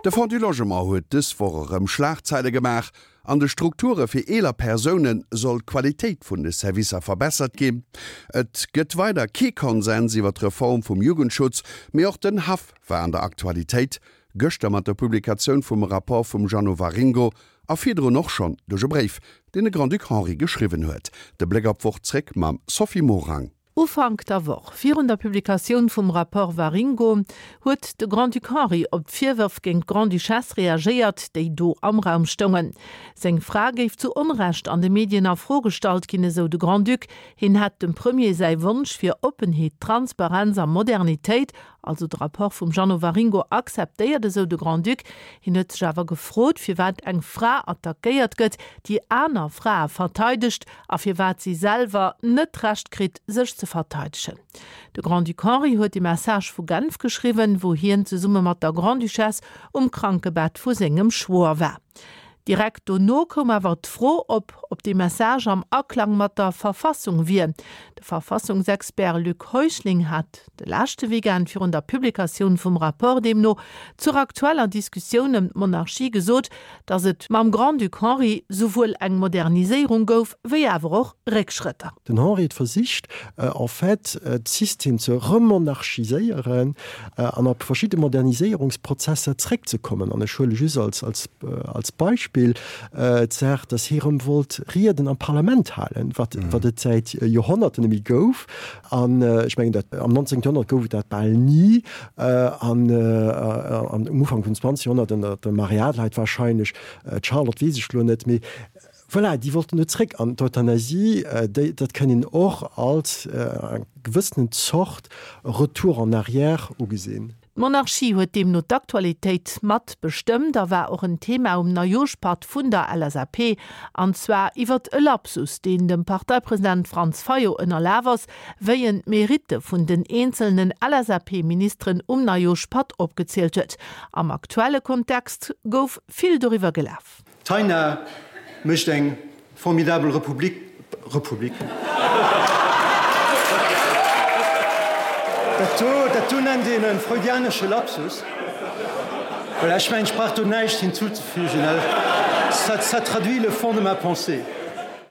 De Fonds du Logement huet dës Woch erëm Schlagzeile gemaach. An de Strukture fir eeler Persoune soll d'Qualitéit vun de Servicer verbessert ginn. Et gëtt weider kee Konsens iwwer d'Reform vum Jugendschutz, mee och den Haff war an der Aktualitéit, gëschter mat der Publikatioun vum Rapport vum Jeannot Waringo a virdrun och schonn duerch e Bréif, deen de Grand-Duc Henri geschriwwen huet. De Bléck op d'Woch zréck mam Sophie Morang. Ufank der Woch, virun der Publikatioun vum Rapport Waringo, huet de Grand-Duc Henri op d'Virwërf géint d'Grande-Duchesse reagéiert, déi do am Raum stoungen. Seng Fra géif zu Onrecht an de Medien a Fro gestallt ginn, esou de Grand-Duc. Hien hätt dem Premier säi Wonsch fir Oppenheet, Transparenz a Modernitéit, also de Rapport vum Jeannot Waringo, akzeptéiert, esou de Grand-Duc. Hien huet sech awer gefrot, firwat eng Fra attackéiert gëtt, déi aner Frae verteidegt a firwat si selwer net d'Recht kritt, sech ze verteidegen. De Grand-Duc Henri huet de Message vu Genf geschriwwen, wou hien zesumme mat der Grande-Duchesse um Krankebett vu sengem Schwoer war. Direkt dono koum awer d'Fro op, ob dee Message am Aklang mat der Verfassung wier. De Verfassungsexpert Luc Heuschling hat de leschte Weekend virun der Publikatioun vum Rapport deemno zur aktueller Diskussioun ëm d'Monarchie gesot, datt et mam Grand-Duc Henri souwuel eng Moderniséierung gouf, wéi awer och Réckschrëtter. Den Henri huet versicht en fait d'System ze remonarchiséieren an op verschidde Moderniséierungsprozesser zréckzekommen. An ech huele just als, als, als Beispill d'Saach, datt hie rëm wollt Rieden am Parlament halen, wat, wat et säit Joerhonnerten net méi gouf. An ech mengen, dat am 19. Joerhonnert gouf et dat bal ni. An um Ufank vum 20. Joerhonnert ënner der Marie Adelheid wahrscheinlech, d'Charlotte weess ech elo net, mee voilà, déi wollten do zréck. An d'Euthanasie, déi, dat kënn een och als eng gewëssenen Zort Retour en arrière ugesinn. D'Monarchie huet deemno d'Aktualitéit mat bestëmmt a war och en Thema um Neijooschpatt vun der LSAP. An zwar iwwert e Lapsus, deen dem Parteipresident Franz Fayot ënnerlaf ass, wéi en d'Meritte vun den eenzelnen LSAP-Ministeren um Neijooschpatt opgezielt huet. Am aktuelle Kontext gouf vill doriwwer gelaf. D'Taina mécht eng formidabel Republik, Republik. Dat do, dat do nennt een e freudianesche Lapsus. Voilà, ech mengen, ech brauch do näischt hinzuzefügen, ça, ça traduit le fond de ma pensée.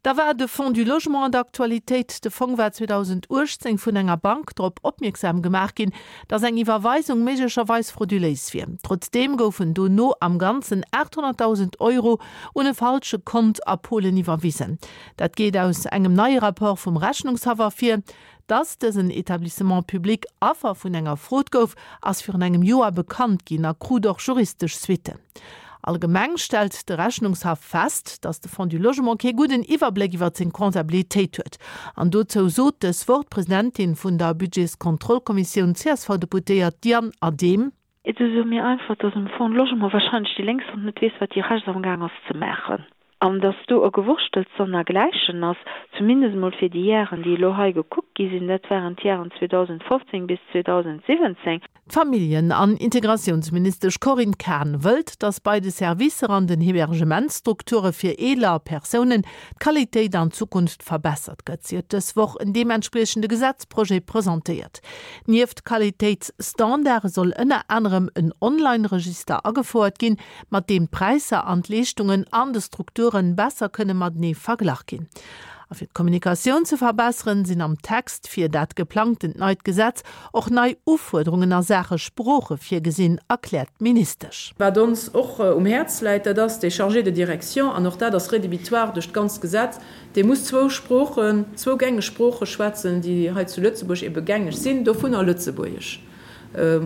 Da war de Fonds du Logement an der Aktualitéit. De Fong war 2018 vun enger Bank drop opmierksam gemaach ginn, datt eng Iwwerweisung méiglecherweis frauduléis wier. Trotzdeem goufen dono am Ganzen 800.000 Euro un e falsche Kont a Polen iwwerwisen. Dat geet aus engem neie Rapport vum Rechnungshaff ervir. Dass dësen Etablissement public Affer vun enger Fraude gouf, ass virun engem Joer bekannt ginn a krut och juristesch Suitten. Allgemeng stellt de Rechnungshaff fest, dass de Fonds du Logement kee gudden Iwwerbléck iwwer seng Comptabilitéit huet. An dozou sot dës Woch d'Presidentin vun der Budgetskontrollkommissioun, d'CSV-Deputéiert Diane Adehm. Et ass esou mir einfach, dass um Fonds Logement wahrscheinlech déi lénks Hand net weess, wat déi rechts amgaang ass ze maachen. An dass do e Gewurschtels sonnergläichen ass, zumindest emol fir déi Jaren, déi elo hei gekuckt gi sinn, dat waren d'Jaren 2015 bis 2017. D'Familljen an Integratiounsministesch Corinne Cahen wëllt, datt bei de Servicer an den Hebergementsstrukture fir eeler Persounen d'Qualitéit an Zukunft verbessert gëtt. Si huet dës Woch en deementspriechende Gesetzprojet presentéiert. Nieft Qualitéitsstandarde soll ënner anerem en Online-Register agefouert ginn, mat deem d'Präisser an d'Leeschtungen an de Strukture besser kënne matenee verglach ginn. A fir d'Kommunikatioun ze verbesseren, sinn am Text fir dat geplangtent neit Gesetz och nei Ufuerderungen a Saache Sprooche virgesinn, erkläert d'Ministesch. Wat ons och um Häerz läit, dat ass dee Chargé de direction, an och dat ass rédhibitoire duerch d'ganzt Gesetz, dee muss zwou Sproochen, zwou gängeg Sprooche schwätzen, déi hei zu Lëtzebuerg ebe gängeg sinn, dovunner Lëtzebuergesch,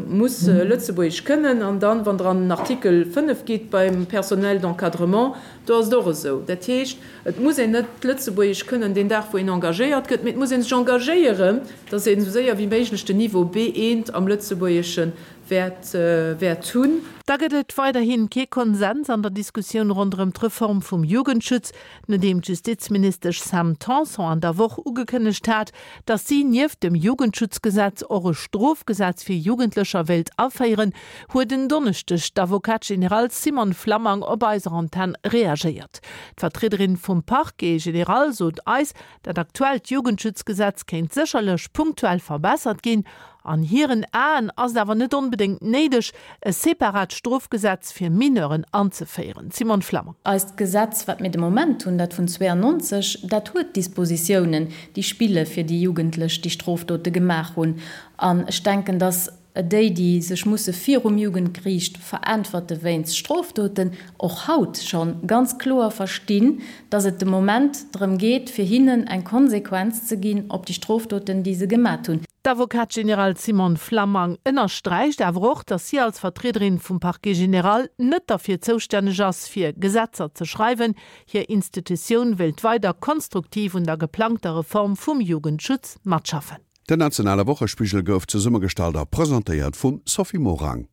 muss Lëtzebuergesch kënnen. An dann, wann Der an den Artikel 5 gitt beim Personnel d'encadrement, do ass et och esou. Dat heescht, et muss een net Lëtzebuergesch kënnen deen Dag, wou een engagéiert gëtt, mee et muss ee sech engagéieren, dass een esou séier wéi méiglech den Niveau B1 am Lëtzebuergesche wäert wäert hunn. Da gëtt et weiderhi kee Konsens an der Diskussioun ronderëm d'Reform vum Jugendschutz, nodeem d'Justizministesch Sam Tanson an der Woch ugekënnegt hat, datt si nieft dem Jugendschutzgesetz och e Strofgesetz fir Jugendlecher wéilt aféieren, huet en Donneschdeg d'Avocate générale Simone Flammang op eiser Antenn reagéiert. D'Vertriederin vum Parquet général sot eis, Dat aktuellt Jugendschutzgesetz kéint sécherlech punktuell verbessert ginn. An hiren Aen ass et awer net onbedéngt néideg, e separat Strofgesetz fir Mineuren anzeféieren. Simone Flammang. Eist Gesetz, wat mir de Moment hunn, dat vun 92, dat huet Dispositiounen, déi spille fir déi Jugendlech, déi Strofdote gemaach hunn. An ech denken, dass déi, déi sech musse virum Jugendgeriicht veräntwerte wéinst Strofdoten, och haut scho ganz kloer verstinn, dass et de Moment drëm geet, fir hinnen eng Konsequenz ze ginn op déi Strofdoten, déi se gemat hunn. D'Avocate générale Simone Flammang ënnersträicht awer och, datt si als Vertriederin vum Parquet général net derfir zoustänneg ass, fir Gesetzer ze schreiwen. Hir Institutioun wéilt weider konstruktiv un der geplangter Reform vum Jugendschutz matschaffen. Den nationale Wochespigel gouf zesummegestallt a presentéiert vum Sophie Morang.